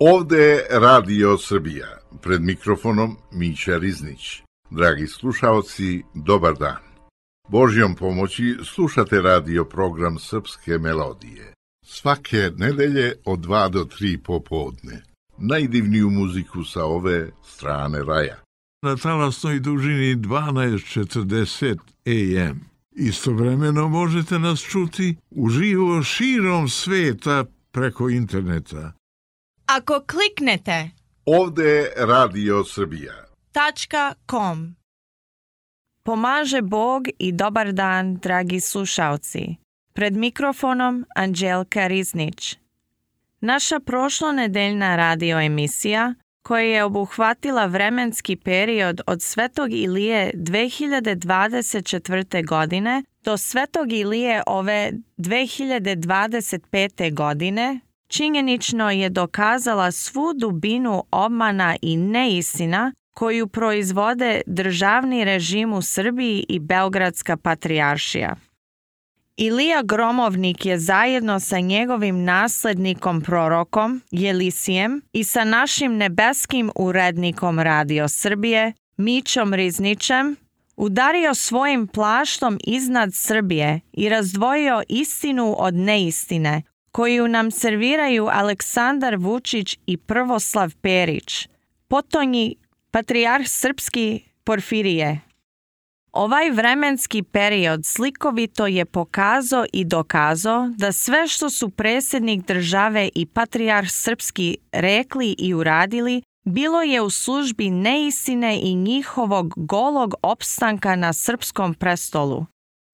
Ovde je Radio Srbija, pred mikrofonom Mića Riznić. Dragi slušaoci, dobar dan. Božjom pomoći slušate radio program Srpske melodije. Svake nedelje od 2 do 3 popodne. Najdivniju muziku sa ove strane raja. Na talasnoj dužini 1240 AM. Istovremeno možete nas čuti uživo širom sveta preko interneta. Ako kliknete Ovde je Radio Srbija. .com. Pomaže Bog i dobar dan, dragi slušalci. Pred mikrofonom Anđelka Riznić. Naša prošlonedeljna radio emisija, koja je obuhvatila vremenski period od Svetog Ilije 2024. godine do Svetog Ilije ove 2025. godine, činjenično je dokazala svu dubinu obmana i neistina koju proizvode državni režim u Srbiji i Beogradska patrijaršija. Ilija Gromovnik je zajedno sa njegovim naslednikom prorokom Jelisijem i sa našim nebeskim urednikom Radio Srbije, Mićom Riznićem, udario svojim plaštom iznad Srbije i razdvojio istinu od neistine, koju nam serviraju Aleksandar Vučić i Prvoslav Perić, potonji patrijarh srpski Porfirije. Ovaj vremenski period slikovito je pokazao i dokazao da sve što su predsjednik države i patrijarh srpski rekli i uradili bilo je u službi neistine i njihovog golog opstanka na srpskom prestolu.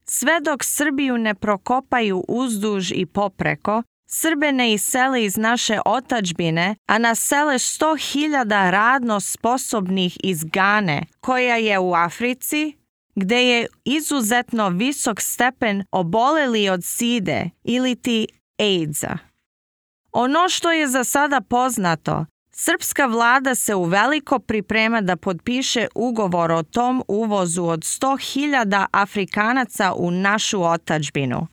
Sve dok Srbiju ne prokopaju uzduž i popreko, Srbe ne isele iz naše otadžbine, a nasele 100.000 radno sposobnih iz Gane, koja je u Africi, gde je izuzetno visok stepen oboleli od side ili ti AIDS-a. Ono što je za sada poznato, srpska vlada se uveliko priprema da potpiše ugovor o tom uvozu od 100.000 Afrikanaca u našu otadžbinu.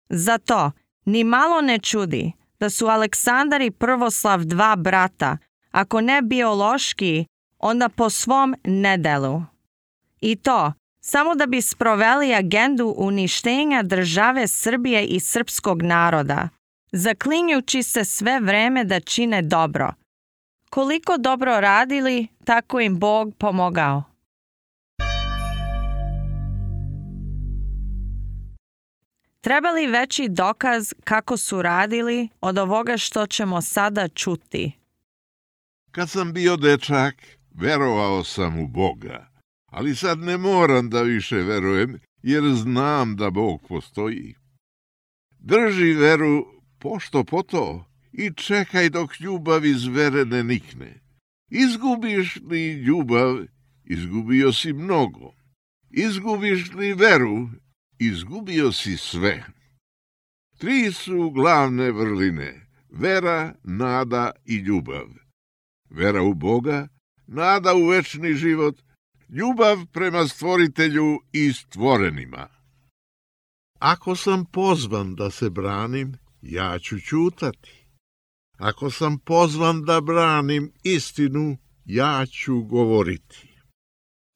Zato ni malo ne čudi da su Aleksandar i Prvoslav dva brata, ako ne biološki, onda po svom nedelu. I to samo da bi sproveli agendu uništenja države Srbije i srpskog naroda, zaklinjući se sve vreme da čine dobro. Koliko dobro radili, tako im Bog pomogao. Treba li veći dokaz kako su radili od ovoga što ćemo sada čuti? Kad sam bio dečak, verovao sam u Boga, ali sad ne moram da više verujem, jer znam da Bog postoji. Drži veru pošto po to i čekaj dok ljubav iz vere ne nikne. Izgubiš li ljubav, izgubio si mnogo. Izgubiš li veru, izgubio si sve. 3 su glavne vrline: vera, nada i ljubav. Vera u Boga, nada u večni život, ljubav prema stvoritelju i stvorenima. Ako sam pozvan da se branim, ja ću ćutati. Ako sam pozvan da branim istinu, ja ću govoriti.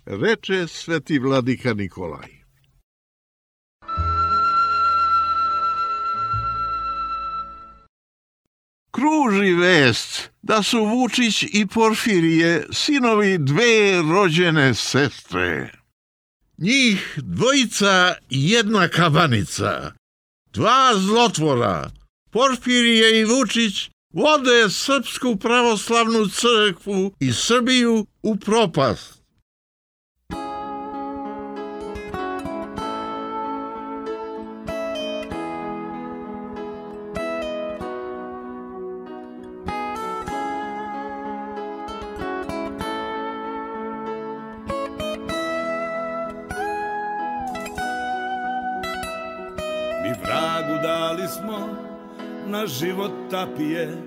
Reče sveti vladika Nikolaj. Kruži vest da su Vučić i Porfirije sinovi 2 rođene sestre. Njih 2 jedna kabanica, 2 zlotvora, Porfirije i Vučić, vode Srpsku pravoslavnu crkvu i Srbiju u propast. Dali smo na život tapije,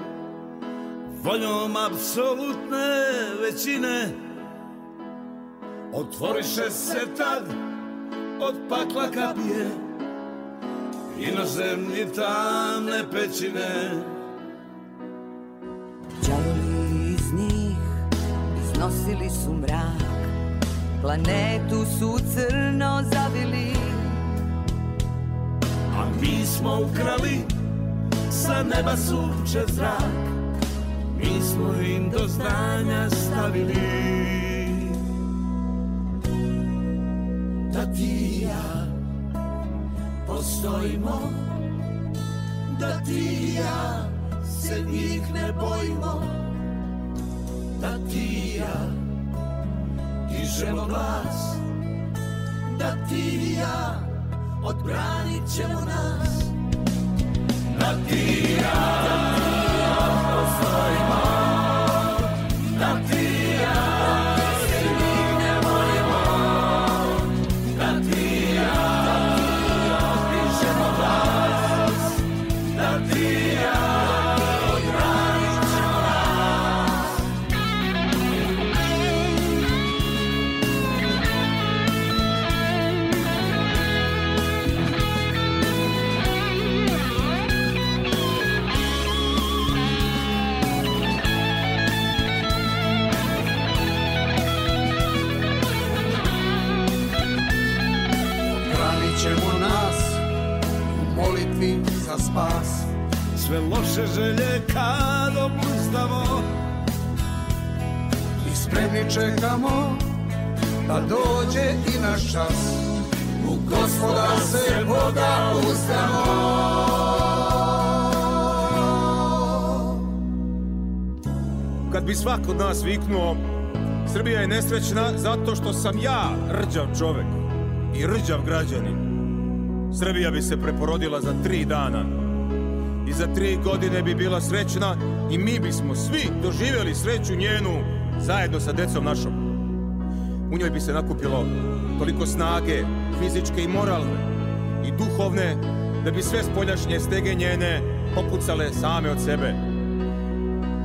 voljom apsolutne većine. Otvoriše se tad od pakla kapije, inozemni tamne pećine. nosili su mrak, planetu su crno zavili. A mi smo ukrali sa neba sunče zrak, mi smo im do znanja stavili da ti i ja postojimo, da ti i ja se njih ne bojimo, da ti i ja dižemo glas, da ti i ja odbranit ćemo nas, da ti i ja postojimo, da ti i ja se njih ne bojimo, da ti i ja dižemo glas, da ti i ja odbranit ćemo nas. Odbranit ćemo nas u molitvi za spas. Sve loše želje kad obuzdamo I spremni čekamo da dođe i naš čas. U Gospoda se Boga uzdamo. Kad bi svako od nas viknuo Srbija je nesrećna zato što sam ja rđav čovek i rđav građanin, Srbija bi se preporodila za 3 dana i za 3 godine bi bila srećna i mi bismo svi doživjeli sreću njenu zajedno sa decom našom. U njoj bi se nakupilo toliko snage, fizičke i moralne i duhovne, da bi sve spoljašnje stege njene popucale same od sebe.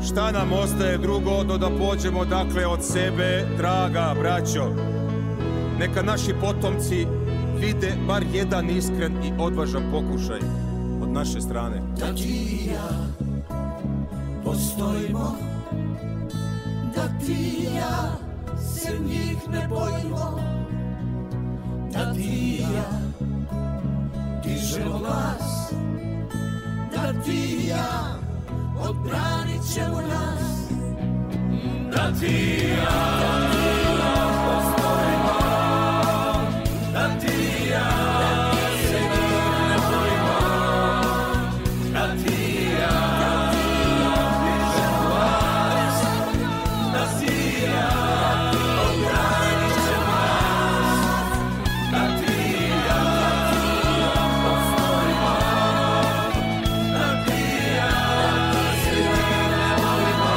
Šta nam ostaje drugo do da pođemo dakle od sebe, draga braćo? Neka naši potomci vide bar jedan iskren i odvažan pokušaj od naše strane. Da ti i ja postojimo, da ti i ja se njih ne bojimo, da ti i ja dižemo glas, da ti i ja odbranit ćemo nas, da ti i ja postojimo, da ti i ja se njih ne bojimo, da ti i ja dižemo glas, da ti i ja odbranit ćemo nas, da ti i ja postojimo, da ti i ja se njih ne bojimo,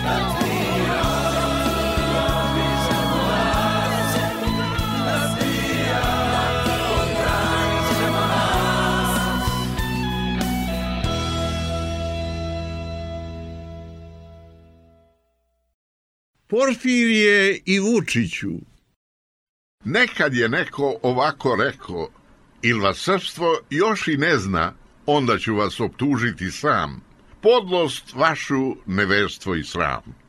da ti i ja dižemo glas, da ti i ja odbranit ćemo nas. Porfirije i Vučiću. Nekad je neko ovako rekao, il vas srpstvo još i ne zna, onda ću vas optužiti sam. Podlost vašu, neverstvo i sram.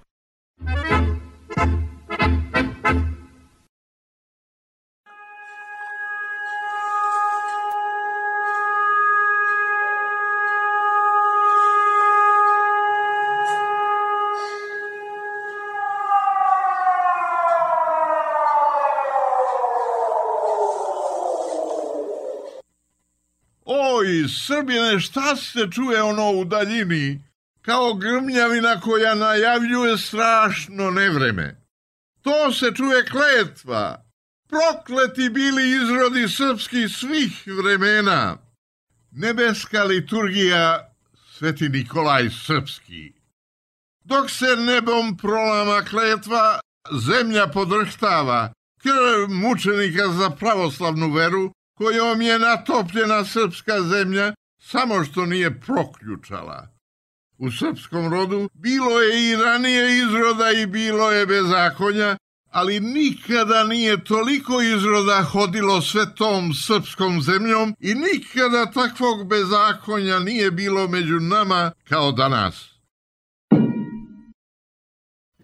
Oj, Srbine, šta se čuje ono u daljini? Kao grmljavina koja najavljuje strašno nevreme. To se čuje kletva. Prokleti bili izrodi srpskih svih vremena. Nebeska liturgija, Sveti Nikolaj Srpski. Dok se nebom prolama kletva, zemlja podrhtava, krv mučenika za pravoslavnu veru, kojom je natopljena srpska zemlja, samo što nije proključala. U srpskom rodu bilo je i ranije izroda i bilo je bezakonja, ali nikada nije toliko izroda hodilo svetom srpskom zemljom i nikada takvog bezakonja nije bilo među nama kao danas.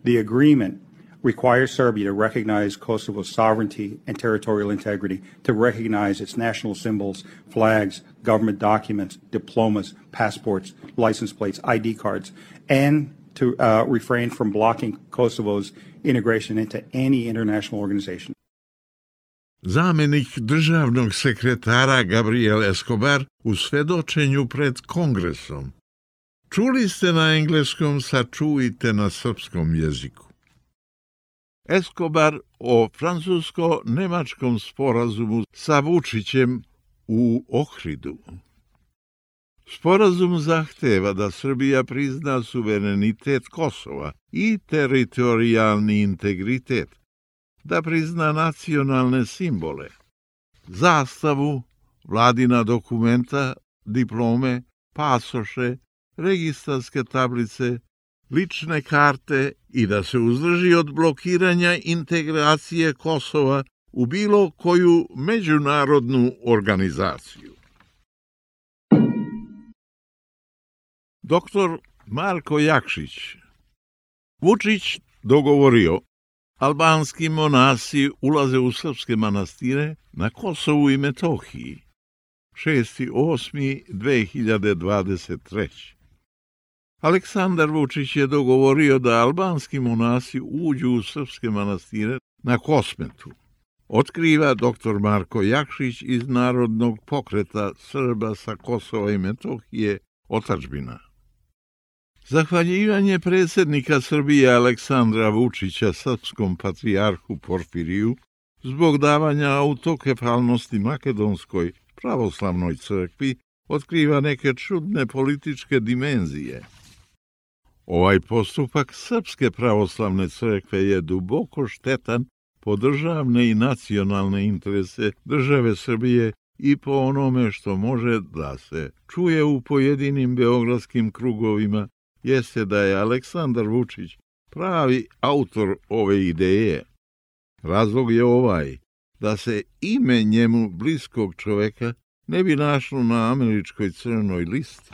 The agreement requires Serbia to recognize Kosovo's sovereignty and territorial integrity, to recognize its national symbols, flags, government documents, diplomas, passports, license plates, ID cards, and to refrain from blocking Kosovo's integration into any international organization. Zamenik državnog sekretara Gabriel Escobar u svedočenju pred Kongresom. Čuli ste na engleskom, sad čujte na srpskom jeziku. Escobar o francusko-nemačkom sporazumu sa Vučićem u Ohridu. Sporazum zahteva da Srbija prizna suverenitet Kosova i teritorijalni integritet, da prizna nacionalne simbole, zastavu, vladina dokumenta, diplome, pasoše, registarske tablice, lične karte i da se uzdrži od blokiranja integracije Kosova u bilo koju međunarodnu organizaciju. Doktor Marko Jakšić. Vučić dogovorio, albanski monasi ulaze u srpske manastire na Kosovu i Metohiji. 6.8.2023. Aleksandar Vučić je dogovorio da albanski monasi uđu u srpske manastire na Kosmetu. Otkriva dr. Marko Jakšić iz Narodnog pokreta Srba sa Kosova i Metohije Otadžbina. Zahvaljivanje predsjednika Srbije Aleksandra Vučića srpskom patrijarhu Porfiriju zbog davanja autokefalnosti Makedonskoj pravoslavnoj crkvi otkriva neke čudne političke dimenzije. Ovaj postupak Srpske pravoslavne crkve je duboko štetan po državne i nacionalne interese države Srbije i po onome što može da se čuje u pojedinim beogradskim krugovima, jeste da je Aleksandar Vučić pravi autor ove ideje. Razlog je ovaj, da se ime njemu bliskog čoveka ne bi našlo na američkoj crnoj listi.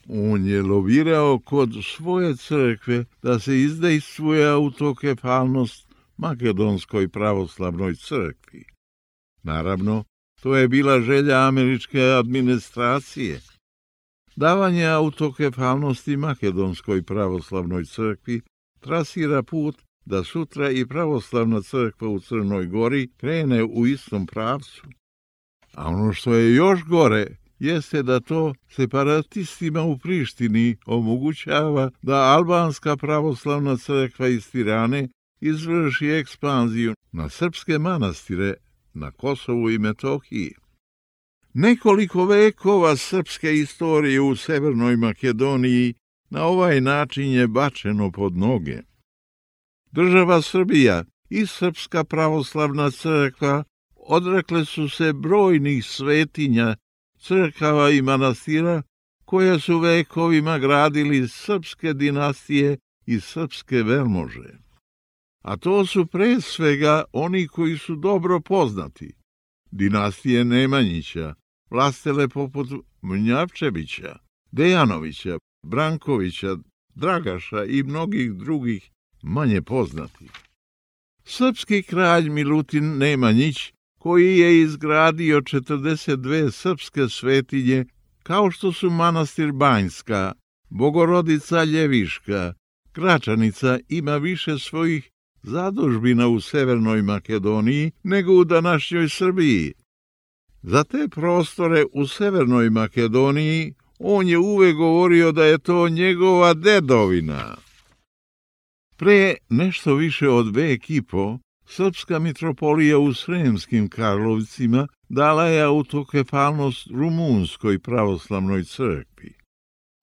On je lobirao kod svoje crkve da se izdejstvuje autokefalnost Makedonskoj pravoslavnoj crkvi. Naravno, to je bila želja američke administracije. Davanje autokefalnosti Makedonskoj pravoslavnoj crkvi trasira put da sutra i pravoslavna crkva u Crnoj Gori krene u istom pravcu. A ono što je još gore jeste da to separatistima u Prištini omogućava da albanska pravoslavna crkva iz Tirane izvrši ekspanziju na srpske manastire na Kosovu i Metohiji. Nekoliko vekova srpske istorije u Severnoj Makedoniji na ovaj način je bačeno pod noge. Država Srbija i Srpska pravoslavna crkva odrekle su se brojnih svetinja, crkava i manastira koje su vekovima gradili srpske dinastije i srpske velmože. A to su pre svega oni koji su dobro poznati. Dinastije Nemanjića, vlastele poput Mnjavčevića, Dejanovića, Brankovića, Dragaša i mnogih drugih manje poznatih. Srpski kralj Milutin Nemanjić, koji je izgradio 42 srpske svetinje, kao što su manastir Banjska, Bogorodica Ljeviška, Gračanica, ima više svojih zadužbina u Severnoj Makedoniji nego u današnjoj Srbiji. Za te prostore u Severnoj Makedoniji on je uvek govorio da je to njegova dedovina. Pre nešto više od vek i po, Srpska mitropolija u Sremskim Karlovcima dala je autokefalnost Rumunskoj pravoslavnoj crkvi.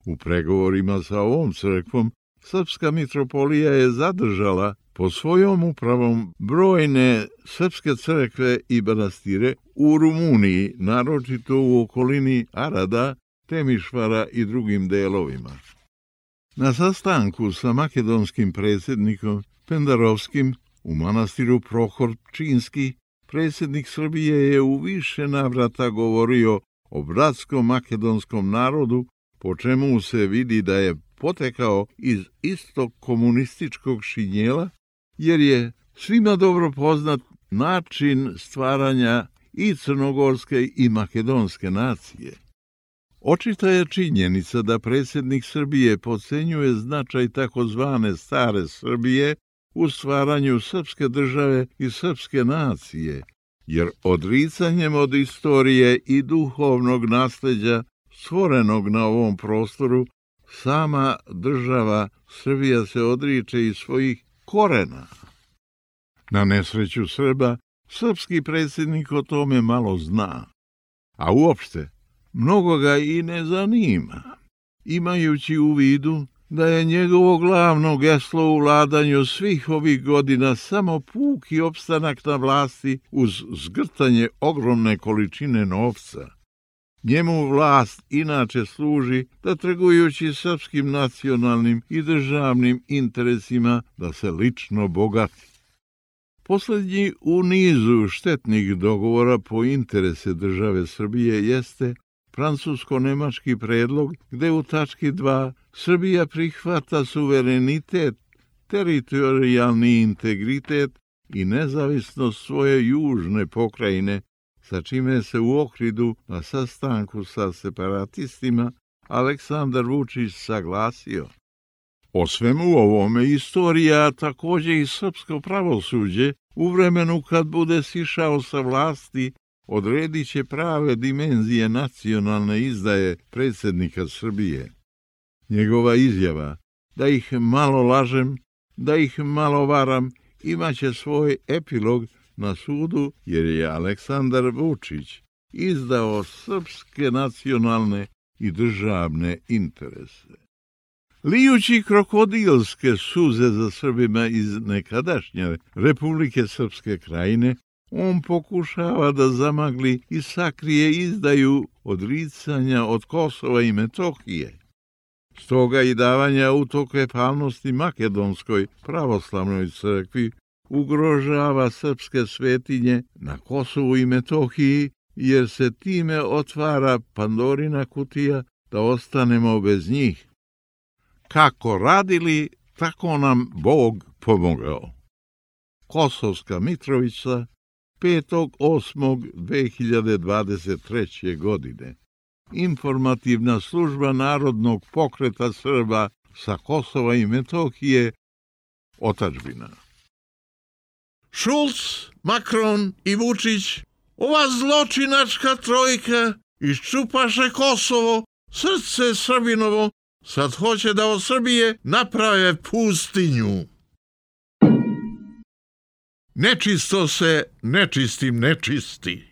U pregovorima sa ovom crkvom Srpska mitropolija je zadržala pod svojom upravom brojne srpske crkve i manastire u Rumuniji, naročito u okolini Arada, Temišvara i drugim delovima. Na sastanku sa makedonskim predsjednikom Pendarovskim u manastiru Prohor Pčinski, predsjednik Srbije je u više navrata govorio o bratskom makedonskom narodu, po čemu se vidi da je potekao iz istog komunističkog šinjela, jer je svima dobro poznat način stvaranja i crnogorske i makedonske nacije. Očita je činjenica da predsjednik Srbije podcenjuje značaj takozvane stare Srbije u stvaranju srpske države i srpske nacije, jer odricanjem od istorije i duhovnog nasleđa stvorenog na ovom prostoru, sama država Srbija se odriče iz svojih korena. Na nesreću Srba, srpski predsjednik o tome malo zna, a uopšte mnogo ga i ne zanima, imajući u vidu da je njegovo glavno geslo u vladanju svih ovih godina samo puki opstanak na vlasti uz zgrtanje ogromne količine novca. Njemu vlast inače služi da trgujući srpskim nacionalnim i državnim interesima da se lično bogati. Posljednji u nizu štetnih dogovora po interese države Srbije jeste francusko-nemački predlog gde u tački 2 Srbija prihvata suverenitet, teritorijalni integritet i nezavisnost svoje južne pokrajine, sa čime se u Ohridu na sastanku sa separatistima Aleksandar Vučić saglasio. O svemu ovome istorija, također i srpsko pravosuđe, u vremenu kad bude sišao sa vlasti, odredit će prave dimenzije nacionalne izdaje predsjednika Srbije. Njegova izjava da ih malo lažem, da ih malo varam, imaće svoj epilog na sudu, jer je Aleksandar Vučić izdao srpske nacionalne i državne interese. Lijući krokodilske suze za Srbima iz nekadašnje Republike Srpske Krajine, on pokušava da zamagli i sakrije izdaju odricanja od Kosova i Metohije. Stoga i davanja autokefalnosti Makedonskoj pravoslavnoj crkvi ugrožava srpske svetinje na Kosovu i Metohiji, jer se time otvara Pandorina kutija da ostanemo bez njih. Kako radili, tako nam Bog pomogao. Kosovska Mitrovica, 5.8.2023. godine. Informativna služba Narodnog pokreta Srba sa Kosova i Metohije, otadžbina. Šulc, Makron i Vučić, ova zločinačka trojka, iščupaše Kosovo, srce Srbinovo, sad hoće da od Srbije naprave pustinju. Nečisto se nečistim nečisti.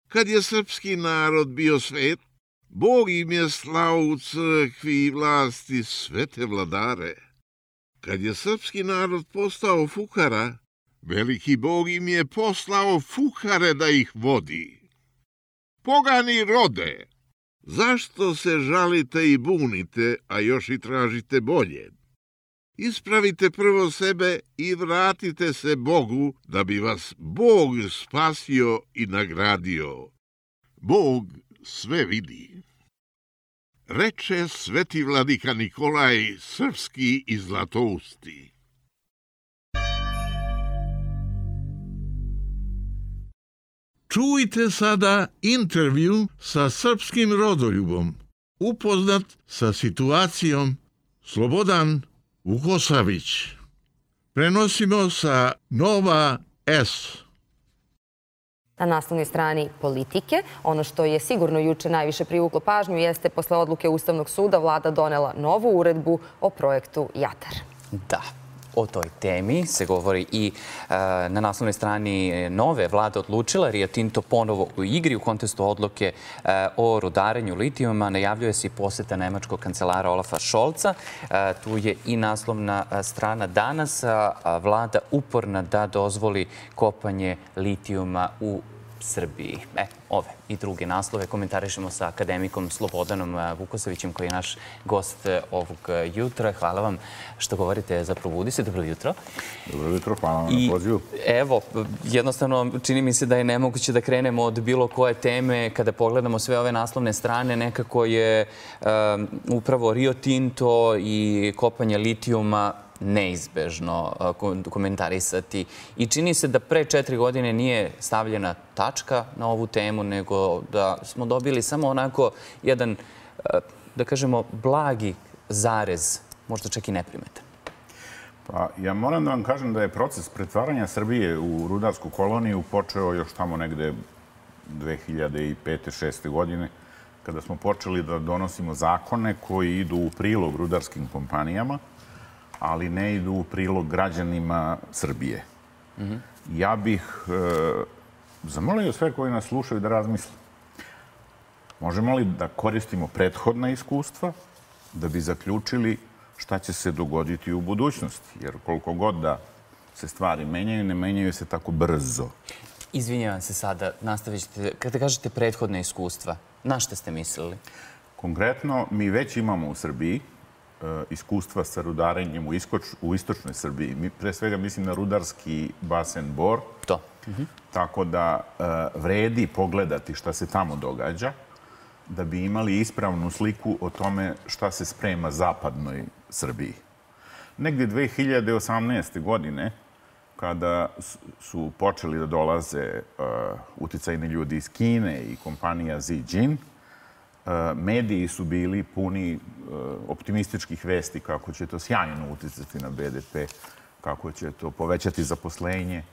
Kad je srpski narod bio svet, Bog im je slao u crkvi i vlasti svete vladare. Kad je srpski narod postao fukara, veliki Bog im je poslao fukare da ih vodi. Pogani rode, zašto se žalite i bunite, a još i tražite bolje? Ispravite prvo sebe i vratite se Bogu, da bi vas Bog spasio i nagradio. Bog sve vidi. Reče sveti vladika Nikolaj Srpski i Zlatousti. Čujte sada intervju sa srpskim rodoljubom, upoznat sa situacijom Slobodan Vukosavić. Prenosimo sa Nova S. Na naslovnoj strani Politike, ono što je sigurno juče najviše privuklo pažnju jeste posle odluke Ustavnog suda vlada donela novu uredbu o projektu Jadar. Da. O toj temi se govori i na naslovnoj strani Nove. Vlada odlučila, Rio Tinto ponovo u igri u kontekstu odluke o rudarenju litijuma. Najavljuje se i poseta nemačkog kancelara Olafa Scholza. Tu je i naslovna strana danas. Vlada uporna da dozvoli kopanje litijuma u Srbiji. Ove i druge naslove komentarišemo sa akademikom Slobodanom Vukosovićem, koji je naš gost ovog jutra. Hvala vam što govorite za Probudi se. Dobro jutro. Dobro jutro, hvala vam na pozivu. Evo, jednostavno čini mi se da je nemoguće da krenemo od bilo koje teme. Kada pogledamo sve ove naslovne strane, nekako je upravo Rio Tinto i kopanje litijuma neizbežno komentarisati. I čini se da pre 4 godine nije stavljena tačka na ovu temu, nego da smo dobili samo onako jedan, da kažemo, blagi zarez, možda čak i neprimetan. Pa ja moram da vam kažem da je proces pretvaranja Srbije u rudarsku koloniju počeo još tamo negde 2005-2006. godine, kada smo počeli da donosimo zakone koji idu u prilog rudarskim kompanijama, ali ne idu u prilog građanima Srbije. Ja bih zamolio sve koji nas slušaju da razmisle. Možemo li da koristimo prethodna iskustva da bi zaključili šta će se dogoditi u budućnosti? Jer koliko god da se stvari menjaju, ne menjaju se tako brzo. Izvinjavam se sada, nastavit ćete. Kada kažete prethodna iskustva, na šta ste mislili? Konkretno, mi već imamo u Srbiji iskustva sa rudarenjem u istočnoj Srbiji. Mi pre svega mislim na rudarski basen Bor. To. Tako da vredi pogledati šta se tamo događa, da bi imali ispravnu sliku o tome šta se sprema zapadnoj Srbiji. Negdje 2018. godine, kada su počeli da dolaze uticajni ljudi iz Kine i kompanija Zijin, mediji su bili puni optimističkih vesti kako će to sjajno uticati na BDP, kako će to povećati zaposlenje,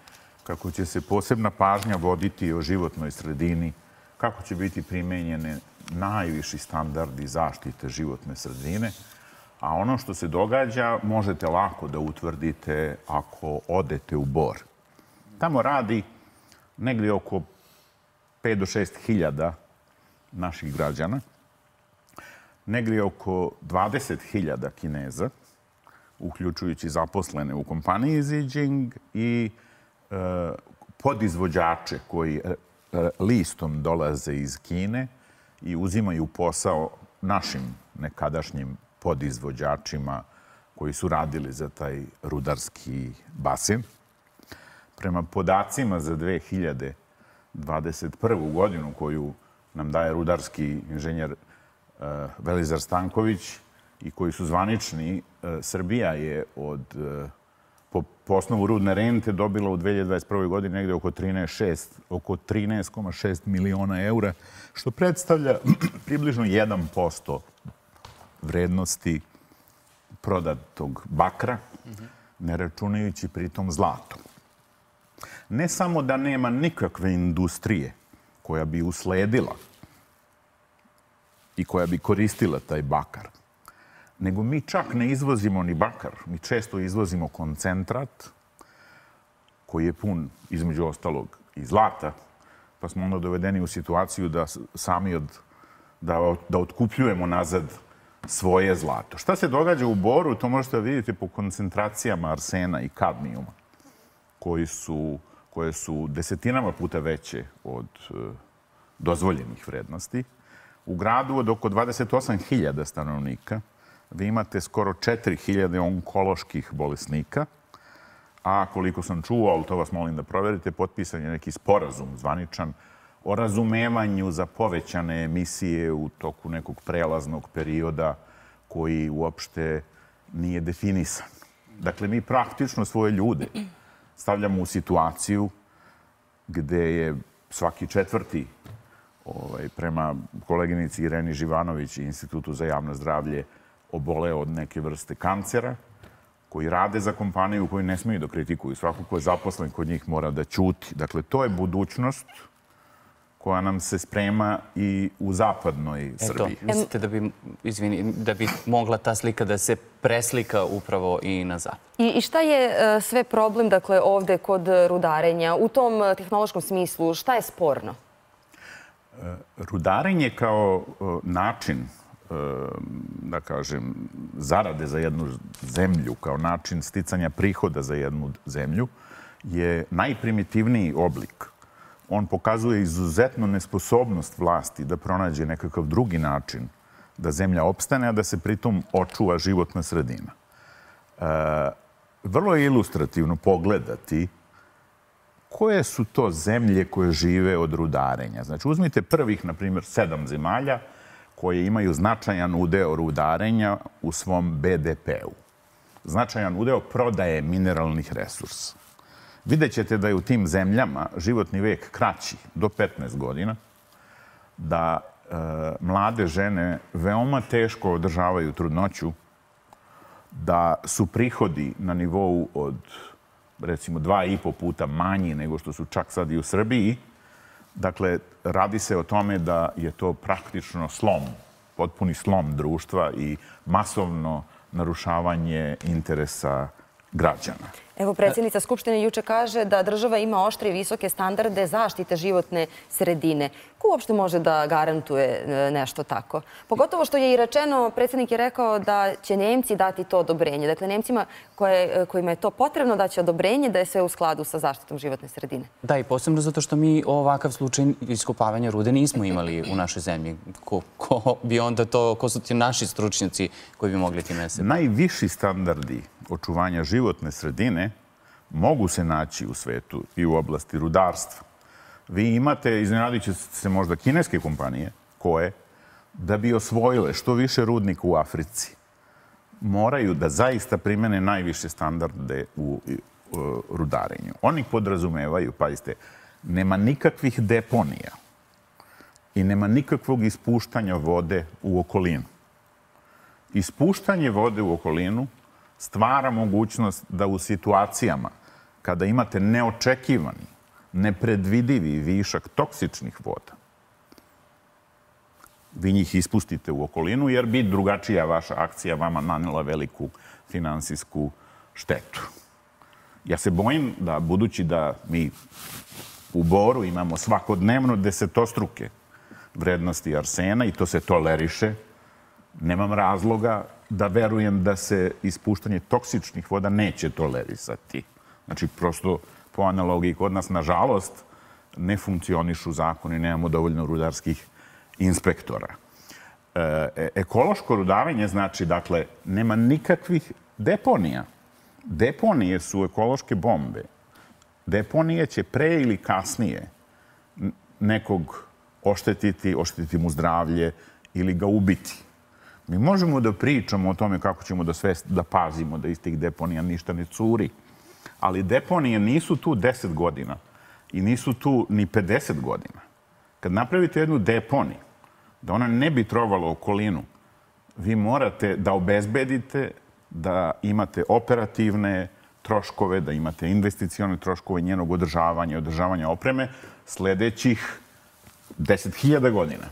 kako će se posebna pažnja voditi o životnoj sredini, kako će biti primenjene najviši standardi zaštite životne sredine. A ono što se događa možete lako da utvrdite ako odete u Bor. Tamo radi negdje oko 5 do 6 hiljada naših građana, negdje oko 20.000 Kineza, uključujući zaposlene u kompaniji Zijin i podizvođače koji listom dolaze iz Kine i uzimaju posao našim nekadašnjim podizvođačima koji su radili za taj rudarski basen. Prema podacima za 2021. godinu koju nam daje rudarski inženjer Velizar Stanković i koji su zvanični, Srbija je po osnovu rudne rente dobila u 2021. godini negdje oko 13,6 miliona eura, što predstavlja približno 1% vrednosti prodatog bakra, ne računajući pritom zlato. Ne samo da nema nikakve industrije koja bi usledila i koja bi koristila taj bakar, nego mi čak ne izvozimo ni bakar. Mi često izvozimo koncentrat koji je pun, između ostalog, i zlata, pa smo onda dovedeni u situaciju da sami da otkupljujemo nazad svoje zlato. Šta se događa u Boru, to možete vidjeti po koncentracijama arsena i kadmijuma, koje su desetinama puta veće od dozvoljenih vrednosti. U gradu od oko 28.000 stanovnika vi imate skoro 4.000 onkoloških bolesnika, a koliko sam čuo, ali to vas molim da proverite, potpisan je neki sporazum zvaničan o razumevanju za povećane emisije u toku nekog prelaznog perioda koji uopšte nije definisan. Dakle, mi praktično svoje ljude stavljamo u situaciju gde je svaki četvrti, prema koleginici Ireni Živanović i Institutu za javno zdravlje, oboleo od neke vrste kancera, koji rade za kompaniju koju ne smiju da kritikuju. Svako ko je zaposlen kod njih mora da ćuti. Dakle, to je budućnost koja nam se sprema i u zapadnoj Srbiji. Mislite da bi mogla ta slika da se preslika upravo i na zapad? I šta je sve problem, dakle, ovde kod rudarenja? U tom tehnološkom smislu, šta je sporno? Rudarenje kao način, da kažem, zarade za jednu zemlju, kao način sticanja prihoda za jednu zemlju, je najprimitivniji oblik on pokazuje izuzetnu nesposobnost vlasti da pronađe nekakav drugi način da zemlja opstane, a da se pritom očuva životna sredina. Vrlo je ilustrativno pogledati koje su to zemlje koje žive od rudarenja. Znači, uzmite prvih, na primjer, 7 zemalja koje imaju značajan udeo rudarenja u svom BDP-u. Značajan udeo prodaje mineralnih resursa. Vidjet ćete da je u tim zemljama životni vek kraći do 15 godina, da mlade žene veoma teško održavaju trudnoću, da su prihodi na nivou od, recimo, 2,5 puta manji nego što su čak sad i u Srbiji. Dakle, radi se o tome da je to praktično slom, potpuni slom društva i masovno narušavanje interesa građana. Evo, predsjednica Skupštine juče kaže da država ima oštre i visoke standarde zaštite životne sredine. Ko uopšte može da garantuje nešto tako? Pogotovo što je i rečeno, predsjednik je rekao da će Nemci dati to odobrenje. Dakle, Nemcima kojima je to potrebno da će odobrenje da je sve u skladu sa zaštitom životne sredine. Da, i posebno zato što mi ovakav slučaj iskopavanja rude nismo imali u našoj zemlji. Ko bi onda to, ko su ti naši stručnjaci koji bi mogli time se... Najviši standardi očuvanja životne sredine mogu se naći u svetu i u oblasti rudarstva. Vi imate, iznenadit će se možda kineske kompanije, koje, da bi osvojile što više rudnika u Africi, moraju da zaista primene najviše standarde u rudarenju. Oni podrazumevaju, pazite, nema nikakvih deponija i nema nikakvog ispuštanja vode u okolinu. Ispuštanje vode u okolinu stvara mogućnost da u situacijama kada imate neočekivani, nepredvidivi višak toksičnih voda, vi njih ispustite u okolinu, jer bi drugačija vaša akcija vama nanela veliku finansijsku štetu. Ja se bojim da, budući da mi u Boru imamo svakodnevno desetostruke vrednosti arsena i to se toleriše, nemam razloga da verujem da se ispuštanje toksičnih voda neće tolerisati. Znači, prosto po analogiji kod nas, nažalost, ne funkcionišu zakoni, nemamo dovoljno rudarskih inspektora. Ekološko rudarenje znači, dakle, nema nikakvih deponija. Deponije su ekološke bombe. Deponije će pre ili kasnije nekog oštetiti mu zdravlje ili ga ubiti. Mi možemo da pričamo o tome kako ćemo da pazimo da iz tih deponija ništa ne curi, ali deponije nisu tu 10 godina i nisu tu ni 50 godina. Kad napravite jednu deponiju, da ona ne bi trovala okolinu, vi morate da obezbedite da imate operativne troškove, da imate investicione troškove njenog održavanja opreme sledećih 10.000 godina.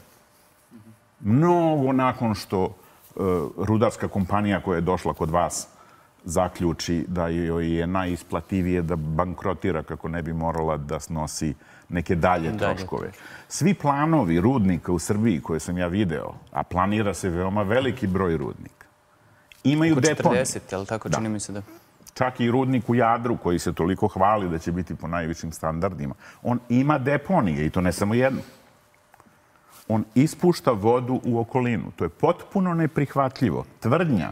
Mnogo nakon što rudarska kompanija koja je došla kod vas zaključi da joj je najisplativije da bankrotira kako ne bi morala da snosi neke dalje troškove. Svi planovi rudnika u Srbiji koje sam ja video, a planira se veoma veliki broj rudnika, imaju deponije. 40, je li tako? Čini mi se da... Čak i rudnik u Jadru koji se toliko hvali da će biti po najvišim standardima. On ima deponije i to ne samo jedno. On ispušta vodu u okolinu. To je potpuno neprihvatljivo. Tvrdnja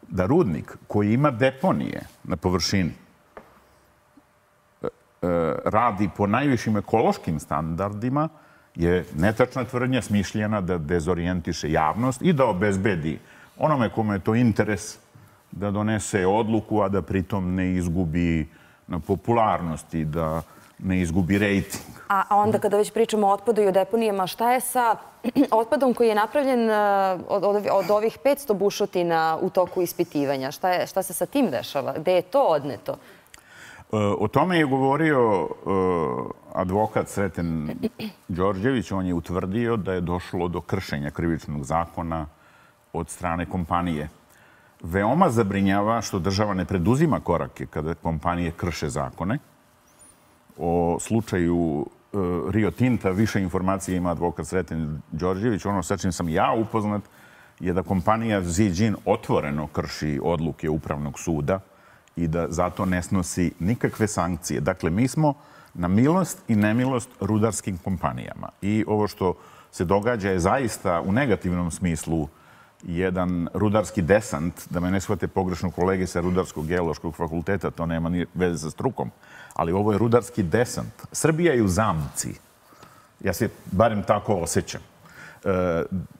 da rudnik koji ima deponije na površini radi po najvišim ekološkim standardima je netačna tvrdnja, smišljena da dezorijentiše javnost i da obezbedi onome kome je to interes da donese odluku, a da pritom ne izgubi na popularnosti, da ne izgubi rejting. A onda kada već pričamo o otpadu i o deponijama, šta je sa otpadom koji je napravljen od ovih 500 bušotina u toku ispitivanja? Šta se sa tim dešava? Gde je to odneto? O tome je govorio advokat Sreten Đorđević. On je utvrdio da je došlo do kršenja krivičnog zakona od strane kompanije. Veoma zabrinjava što država ne preduzima korake kada kompanije krše zakone. O slučaju Rio Tinta više informacije ima advokat Sreten Đorđević. Ono sa čim sam ja upoznat je da kompanija Ziđin otvoreno krši odluke Upravnog suda i da zato ne snosi nikakve sankcije. Dakle, mi smo na milost i nemilost rudarskim kompanijama. I ovo što se događa je zaista u negativnom smislu jedan rudarski desant, da me ne shvate pogrešno kolege sa Rudarsko-geološkog fakulteta, to nema ni veze sa strukom, ali ovo je rudarski desant. Srbija je u zamci. Ja se barem tako osjećam.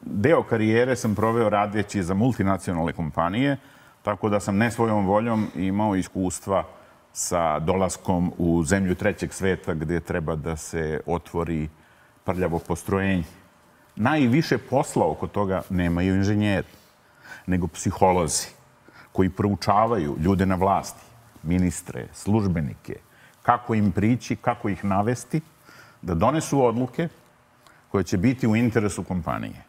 Deo karijere sam proveo radeći za multinacionalne kompanije, tako da sam ne svojom voljom imao iskustva sa dolaskom u zemlju trećeg sveta gdje treba da se otvori prljavo postrojenje. Najviše posla oko toga nemaju inženjeri, nego psiholozi koji proučavaju ljude na vlasti, ministre, službenike, kako im prići, kako ih navesti, da donesu odluke koje će biti u interesu kompanije.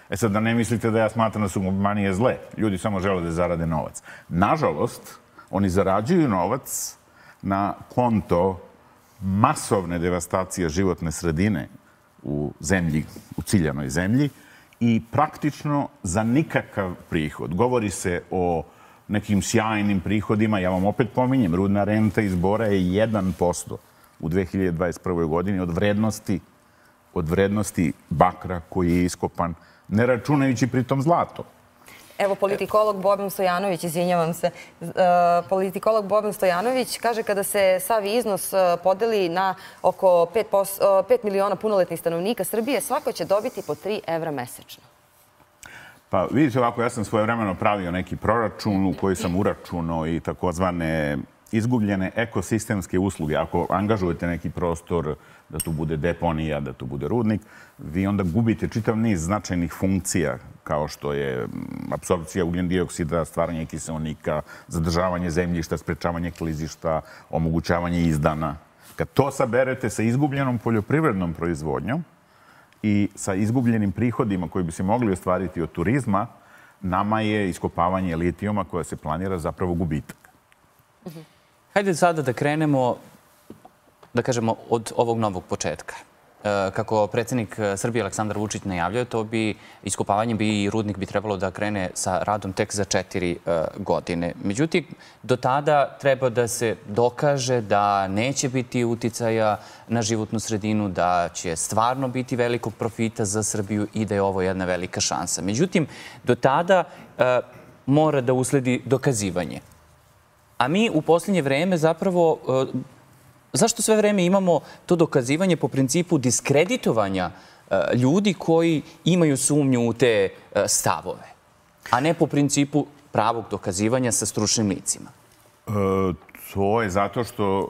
E sad, da ne mislite da ja smatram da su kompanije zle. Ljudi samo žele da zarade novac. Nažalost, oni zarađuju novac na konto masovne devastacije životne sredine u zemlji, u ciljanoj zemlji i praktično za nikakav prihod. Govori se o nekim sjajnim prihodima. Ja vam opet pominjem, rudna renta iz bora je 1% u 2021. godini od vrednosti bakra koji je iskopan, ne računajući pritom zlato. Evo, politikolog Boban Stojanović, izvinjavam se, politikolog Boban Stojanović kaže kada se sav iznos podeli na oko 5 miliona punoletnih stanovnika Srbije, svako će dobiti po 3 evra mesečno. Pa vidite ovako, ja sam svojevremeno pravio neki proračun u koji sam uračunao i takozvane izgubljene ekosistemske usluge. Ako angažujete neki prostor da tu bude deponija, da tu bude rudnik, vi onda gubite čitav niz značajnih funkcija kao što je apsorpcija ugljen dioksida, stvaranje kiseonika, zadržavanje zemljišta, sprečavanje klizišta, omogućavanje izdana. Kad to saberete sa izgubljenom poljoprivrednom proizvodnjom i sa izgubljenim prihodima koji bi se mogli ostvariti od turizma, nama je iskopavanje litijuma koja se planira zapravo gubitak. Hajde sada da krenemo, da kažemo, od ovog novog početka. Kako predsjednik Srbije Aleksandar Vučić najavljuje, to bi iskopavanje i rudnik bi trebalo da krene sa radom tek za 4 godine. Međutim, do tada treba da se dokaže da neće biti uticaja na životnu sredinu, da će stvarno biti velikog profita za Srbiju i da je ovo jedna velika šansa. Međutim, do tada mora da usledi dokazivanje. A mi u posljednje vreme zapravo, zašto sve vreme imamo to dokazivanje po principu diskreditovanja ljudi koji imaju sumnju u te stavove, a ne po principu pravog dokazivanja sa stručnim licima? To je zato što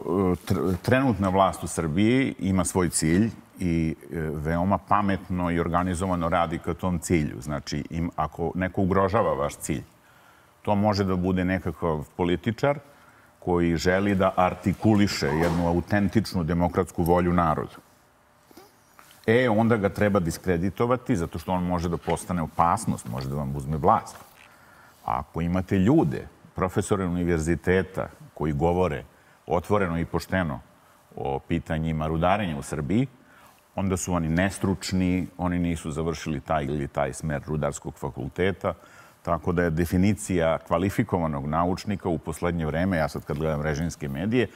trenutna vlast u Srbiji ima svoj cilj i veoma pametno i organizovano radi ka tom cilju. Znači, ako neko ugrožava vaš cilj, to može da bude nekakav političar koji želi da artikuliše jednu autentičnu demokratsku volju narodu. Onda ga treba diskreditovati zato što on može da postane opasnost, može da vam uzme vlast. A ako imate ljude, profesore univerziteta koji govore otvoreno i pošteno o pitanjima rudarenja u Srbiji, onda su oni nestručni, oni nisu završili taj ili taj smer rudarskog fakulteta. Tako da je definicija kvalifikovanog naučnika u poslednje vreme, ja sad kad gledam režimske medije,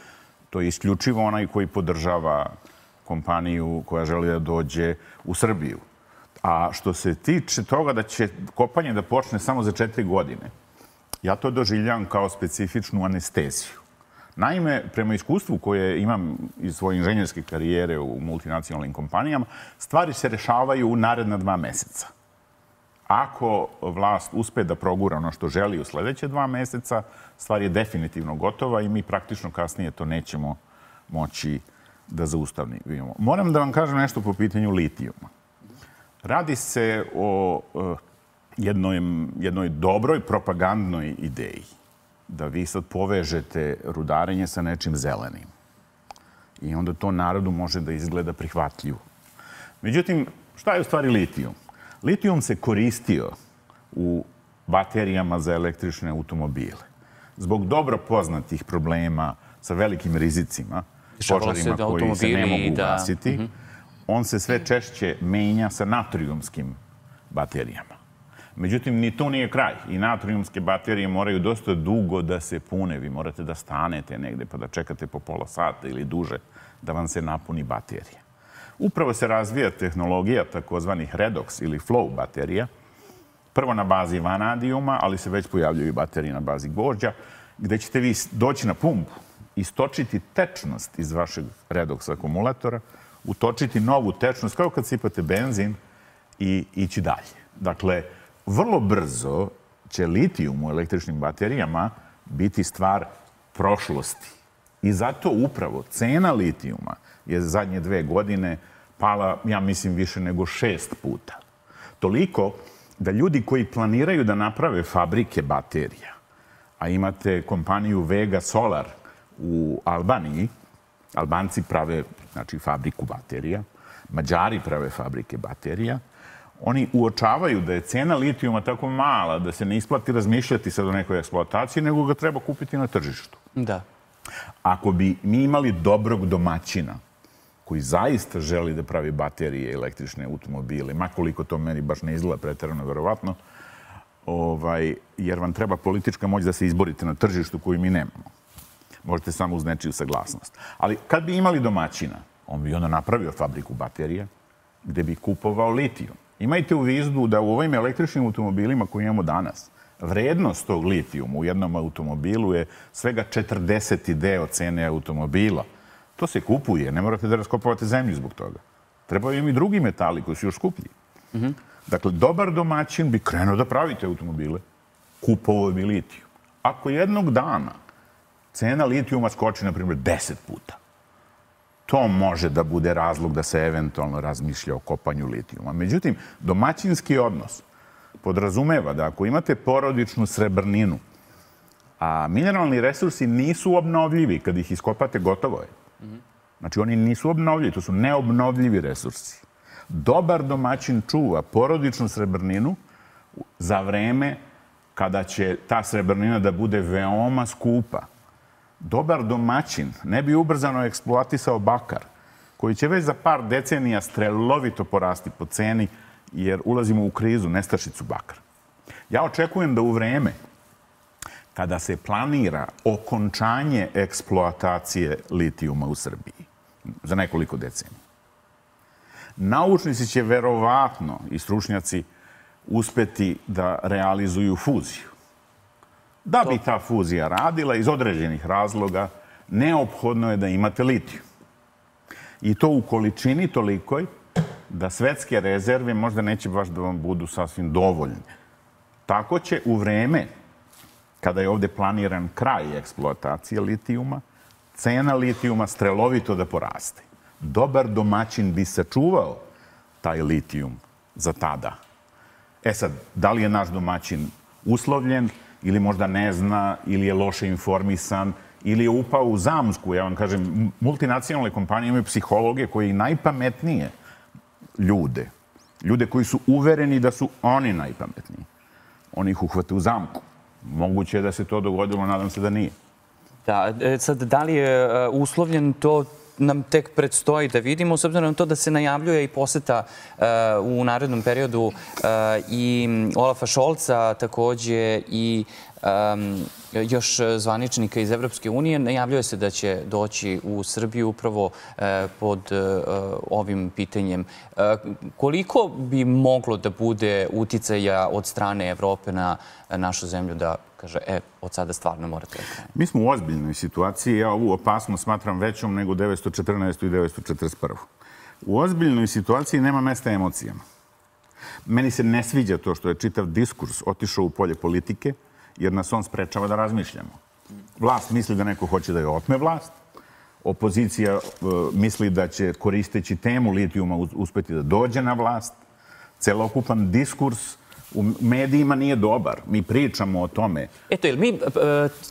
to je isključivo onaj koji podržava kompaniju koja želi da dođe u Srbiju. A što se tiče toga da će kopanje da počne samo za 4 godine, ja to doživljavam kao specifičnu anesteziju. Naime, prema iskustvu koje imam iz svoje inženjerske karijere u multinacionalnim kompanijama, stvari se rešavaju u naredna 2 meseca. Ako vlast uspe da progura ono što želi u sljedeće 2 meseca, stvar je definitivno gotova i mi praktično kasnije to nećemo moći da zaustavimo. Moram da vam kažem nešto po pitanju litijuma. Radi se o jednoj dobroj propagandnoj ideji da vi sad povežete rudarenje sa nečim zelenim. I onda to narodu može da izgleda prihvatljivo. Međutim, šta je u stvari litijum? Litijum se koristio u baterijama za električne automobile. Zbog dobro poznatih problema sa velikim rizicima, požarima koji se ne mogu ugasiti, on se sve češće menja sa natrijumskim baterijama. Međutim, ni to nije kraj. I natrijumske baterije moraju dosta dugo da se pune. Vi morate da stanete negde pa da čekate po pola sata ili duže da vam se napuni baterija. Upravo se razvija tehnologija takozvanih redox ili flow baterija. Prvo na bazi vanadijuma, ali se već pojavljaju baterije na bazi gvožđa, gde ćete vi doći na pumpu, istočiti tečnost iz vašeg redox akumulatora, utočiti novu tečnost, kao kad sipate benzin i ići dalje. Dakle, vrlo brzo će litijum u električnim baterijama biti stvar prošlosti. I zato upravo cena litijuma je zadnje 2 godine pala, ja mislim, više nego 6 puta. Toliko da ljudi koji planiraju da naprave fabrike baterija, a imate kompaniju Vega Solar u Albaniji, Albanci prave, znači, fabriku baterija, Mađari prave fabrike baterija, oni uočavaju da je cena litijuma tako mala da se ne isplati razmišljati sad o nekoj eksploataciji, nego ga treba kupiti na tržištu. Da. Ako bi mi imali dobrog domaćina koji zaista želi da pravi baterije, električne automobile, makoliko to meni baš ne izgleda preterano verovatno, jer vam treba politička moć da se izborite na tržištu koju mi nemamo. Možete samo uz nečiju saglasnost. Ali kad bi imali domaćina, on bi onda napravio fabriku baterija gde bi kupovao litijum. Imajte u vidu da u ovim električnim automobilima koje imamo danas, vrednost tog litijuma u jednom automobilu je svega 40 deo cene automobila. To se kupuje, ne morate da raskopavate zemlju zbog toga. Trebaju im i drugi metali koji su još skuplji. Dakle, dobar domaćin bi krenuo da pravite automobile, kupovao bi litijum. Ako jednog dana cena litijuma skoči, na primjer, 10 puta, to može da bude razlog da se eventualno razmišlja o kopanju litijuma. Međutim, domaćinski odnos podrazumeva da ako imate porodičnu srebrninu, a mineralni resursi nisu obnovljivi, kad ih iskopate, gotovo je. Znači, oni nisu obnovljivi, to su neobnovljivi resursi. Dobar domaćin čuva porodičnu srebrninu za vreme kada će ta srebrnina da bude veoma skupa. Dobar domaćin ne bi ubrzano eksploatisao bakar, koji će već za par decenija strelovito porasti po ceni, jer ulazimo u krizu, nestašicu bakra. Ja očekujem da u vreme kada se planira okončanje eksploatacije litijuma u Srbiji za nekoliko decenija, naučnici će verovatno i stručnjaci uspeti da realizuju fuziju. Da bi ta fuzija radila, iz određenih razloga, neophodno je da imate litijum. I to u količini tolikoj da svetske rezerve možda neće baš da vam budu sasvim dovoljne. Tako će u vreme kada je ovde planiran kraj eksploatacije litijuma, cena litijuma strelovito da poraste. Dobar domaćin bi sačuvao taj litijum za tada. E sad, da li je naš domaćin uslovljen ili možda ne zna, ili je loše informisan, ili je upao u zamsku. Ja vam kažem, multinacionalne kompanije imaju psihologe koji najpametnije ljude koji su uvereni da su oni najpametniji. Oni ih uhvate u zamku. Moguće je da se to dogodilo, nadam se da nije. Da, sad, da li je uslovljen, to nam tek predstoji da vidimo, s obzirom na to da se najavljuje i poseta u narednom periodu i Olafa Šolca, takođe i još zvaničnika iz Evropske unije. Najavljuje se da će doći u Srbiju upravo pod ovim pitanjem. Koliko bi moglo da bude uticaja od strane Evrope na našu zemlju da kaže, od sada stvarno morate da krenete? Mi smo u ozbiljnoj situaciji. Ja ovu opasnost smatram većom nego 914. i 941. U ozbiljnoj situaciji nema mesta emocijama. Meni se ne sviđa to što je čitav diskurs otišao u polje politike, jer nas on sprečava da razmišljamo. Vlast misli da neko hoće da je otme vlast. Opozicija misli da će, koristeći temu litijuma, uspeti da dođe na vlast. Celokupan diskurs u medijima nije dobar. Mi pričamo o tome. Eto, jel mi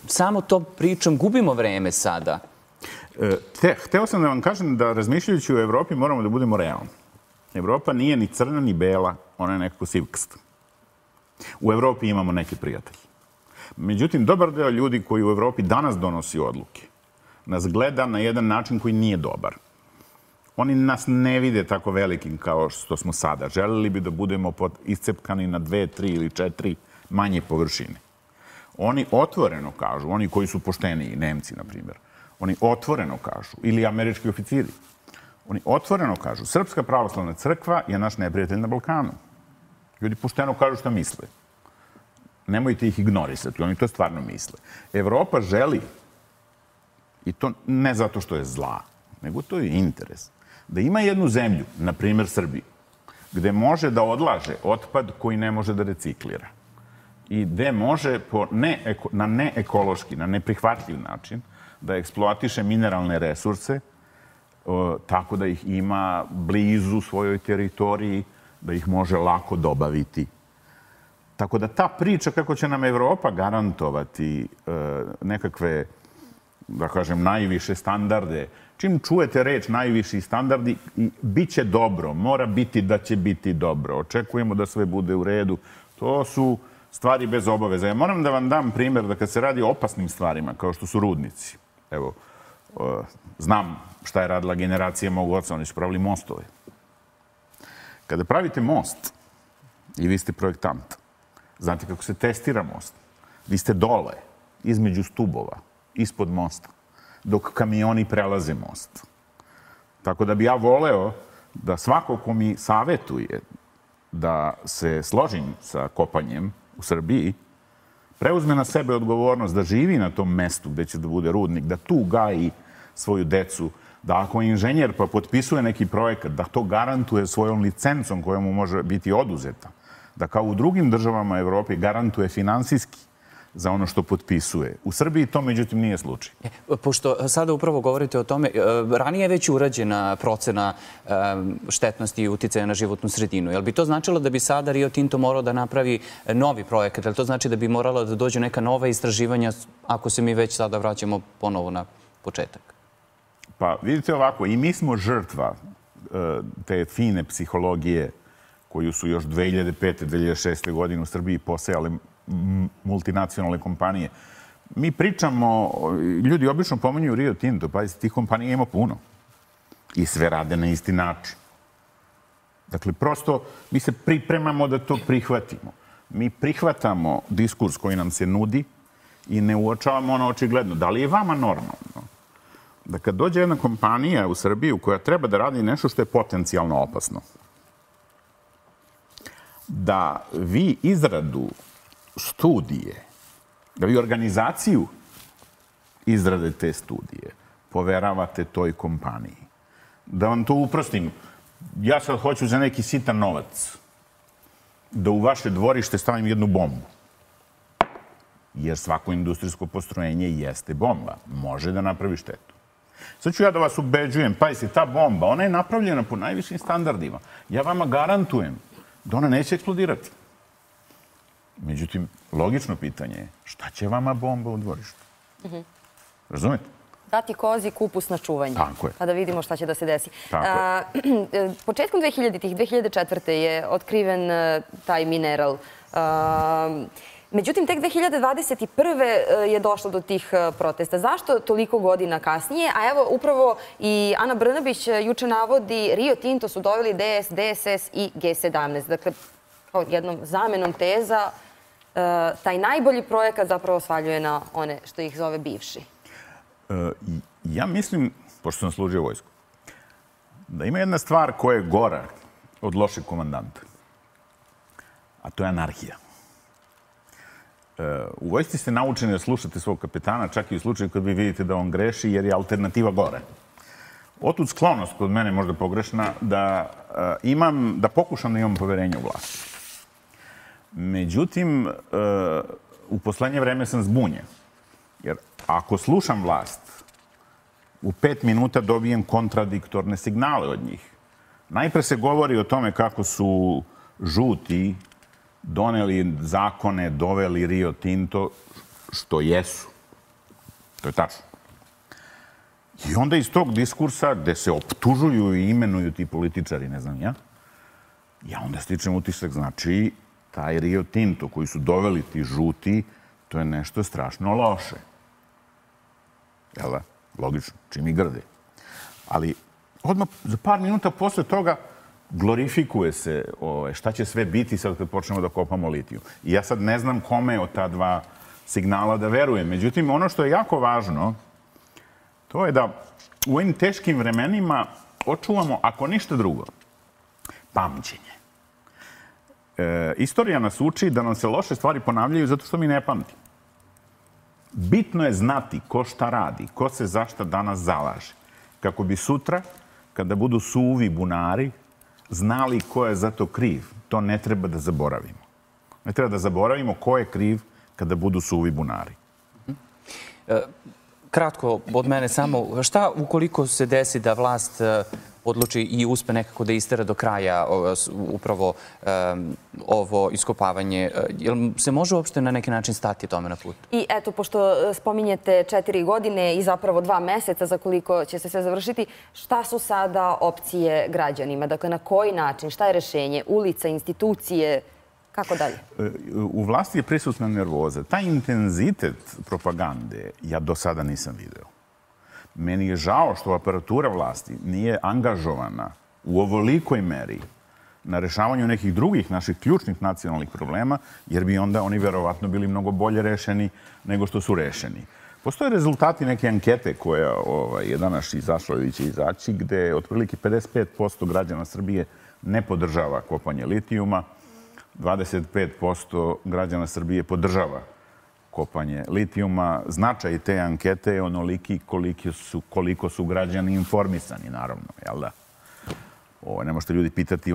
samo to pričam, gubimo vreme sada? Hteo sam da vam kažem da razmišljajući o Evropi moramo da budemo realni. Evropa nije ni crna ni bela, ona je nekako sivkasta. U Evropi imamo neke prijatelje. Međutim, dobar deo ljudi koji u Evropi danas donosi odluke nas gleda na jedan način koji nije dobar. Oni nas ne vide tako velikim kao što smo sada. Želeli bi da budemo iscepkani na 2, 3 ili 4 manje površine. Oni otvoreno kažu, oni koji su pošteniji, Nemci, na primjer, oni otvoreno kažu, ili američki oficiri, oni otvoreno kažu, Srpska pravoslavna crkva je naš neprijatelj na Balkanu. Ljudi pošteno kažu šta misle. Nemojte ih ignorisati, oni to stvarno misle. Evropa želi, i to ne zato što je zla, nego to je interes, da ima jednu zemlju, na primjer Srbiju, gde može da odlaže otpad koji ne može da reciklira i gde može na neekološki, na neprihvatljiv način da eksploatiše mineralne resurse tako da ih ima blizu svojoj teritoriji, da ih može lako dobaviti. Tako da ta priča kako će nam Evropa garantovati nekakve, da kažem, najviše standarde, čim čujete reč najviši standardi, bit će dobro, mora biti da će biti dobro, očekujemo da sve bude u redu, to su stvari bez obaveza. Ja moram da vam dam primjer da kad se radi o opasnim stvarima, kao što su rudnici, evo, znam šta je radila generacija mog oca, oni su pravili mostove. Kada pravite most i vi ste projektant, znate kako se testira most. Vi ste dole, između stubova, ispod mosta, dok kamioni prelaze most. Tako da bi ja voleo da svako ko mi savetuje da se složim sa kopanjem u Srbiji, preuzme na sebe odgovornost da živi na tom mestu gde će da bude rudnik, da tu gaji svoju decu, da ako je inženjer pa potpisuje neki projekat, da to garantuje svojom licencom koja mu može biti oduzeta, da kao u drugim državama Evrope garantuje finansijski za ono što potpisuje. U Srbiji to, međutim, nije slučaj. Pošto sada upravo govorite o tome, ranije je već urađena procena štetnosti i uticaja na životnu sredinu. Jel bi to značilo da bi sada Rio Tinto morao da napravi novi projekat? Jel to znači da bi morala da dođu neka nova istraživanja ako se mi već sada vraćamo ponovo na početak? Pa vidite ovako, i mi smo žrtva te fine psihologije koju su još 2005. 2006. godine u Srbiji posejale multinacionalne kompanije. Mi pričamo, ljudi obično pominju Rio Tinto, pa tih kompanija ima puno. I sve rade na isti način. Dakle, prosto mi se pripremamo da to prihvatimo. Mi prihvatamo diskurs koji nam se nudi i ne uočavamo ono očigledno. Da li je vama normalno da kad dođe jedna kompanija u Srbiju koja treba da radi nešto što je potencijalno opasno, da vi izradu studije, da vi organizaciju izrade te studije poveravate toj kompaniji. Da vam to uprostim, ja sad hoću za neki sitan novac da u vaše dvorište stavim jednu bombu. Jer svako industrijsko postrojenje jeste bomba. Može da napravi štetu. Sad ću ja da vas ubeđujem, pazite, ta bomba, ona je napravljena po najvišim standardima. Ja vama garantujem da ona neće eksplodirati. Međutim, logično pitanje je šta će vama bomba u dvorištu? Razumete? Dati kozi kupus na čuvanje. Tako je. Pa da vidimo šta će da se desi. Početkom 2000-ih, 2004. je otkriven taj mineral. Međutim, tek 2021. je došlo do tih protesta. Zašto toliko godina kasnije? A evo, upravo i Ana Brnabić juče navodi Rio Tinto su doveli DS, DSS i G17. Dakle, jednom zamenom teza, taj najbolji projekat zapravo svaljuje na one što ih zove bivši. Ja mislim, pošto sam služio vojsku, da ima jedna stvar koja je gora od lošeg komandanta. A to je anarhija. U vojsci ste naučeni da slušate svog kapetana, čak i u slučaju kad vi vidite da on greši, jer je alternativa gore. Otud sklonost kod mene možda pogrešna da pokušam da imam poverenje u vlast. Međutim, u poslednje vreme sam zbunjen. Jer ako slušam vlast, u 5 minuta dobijem kontradiktorne signale od njih. Najpre se govori o tome kako su žuti doneli zakone, doveli Rio Tinto, što jesu. To je tačno. I onda iz tog diskursa, gde se optužuju i imenuju ti političari, ne znam ja onda stičem utisak, znači, taj Rio Tinto koji su doveli ti žuti, to je nešto strašno loše. Jel da? Logično, čim i grde. Ali odmah za par minuta posle toga glorifikuje se šta će sve biti sad kad počnemo da kopamo litijum. I ja sad ne znam kome od ta dva signala da verujem. Međutim, ono što je jako važno, to je da u ovim teškim vremenima očuvamo, ako ništa drugo, pamćenje. Istorija nas uči da nam se loše stvari ponavljaju zato što mi ne pamtimo. Bitno je znati ko šta radi, ko se za šta danas zalaže. Kako bi sutra, kada budu suvi bunari, znali ko je za to kriv. To ne treba da zaboravimo. Ne treba da zaboravimo ko je kriv kada budu suvi bunari. Kratko od mene samo, šta ukoliko se desi da vlast odluči i uspe nekako da istera do kraja upravo ovo iskopavanje? Jel se može uopšte na neki način stati tome na put? I eto, pošto spominjete 4 godine i zapravo 2 meseca za koliko će se sve završiti, šta su sada opcije građanima? Dakle, na koji način? Šta je rešenje? Ulica, institucije? Kako dalje? U vlasti je prisutna nervoza. Taj intenzitet propagande ja do sada nisam video. Meni je žao što aparatura vlasti nije angažovana u ovolikoj meri na rešavanju nekih drugih naših ključnih nacionalnih problema, jer bi onda oni verovatno bili mnogo bolje rešeni nego što su rešeni. Postoje rezultati neke ankete koja je danas izašla ili će izaći, gde otprilike 55% građana Srbije ne podržava kopanje litijuma, 25% građana Srbije podržava kopanje litijuma. Značaj te ankete je onoliki koliko su građani informisani, naravno, jel da? Ne možete ljudi pitati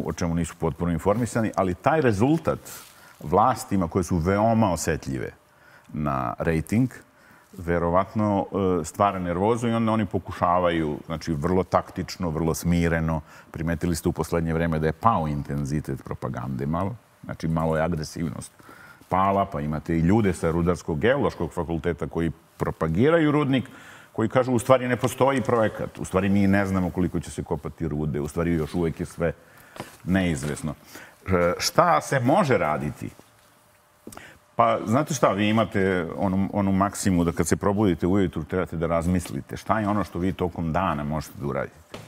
o čemu nisu potpuno informisani, ali taj rezultat vlastima koje su veoma osetljive na rejting, verovatno stvara nervozu i onda oni pokušavaju, znači vrlo taktično, vrlo smireno. Primetili ste u poslednje vreme da je pao intenzitet propagande malo, znači malo je agresivnost pala, pa imate i ljude sa Rudarsko-geološkog fakulteta koji propagiraju rudnik, koji kažu u stvari ne postoji projekat, u stvari mi ne znamo koliko će se kopati rude, u stvari još uvek je sve neizvesno. Šta se može raditi? Pa, znate šta, vi imate onu maksimu da kad se probudite ujutru trebate da razmislite šta je ono što vi tokom dana možete da uradite.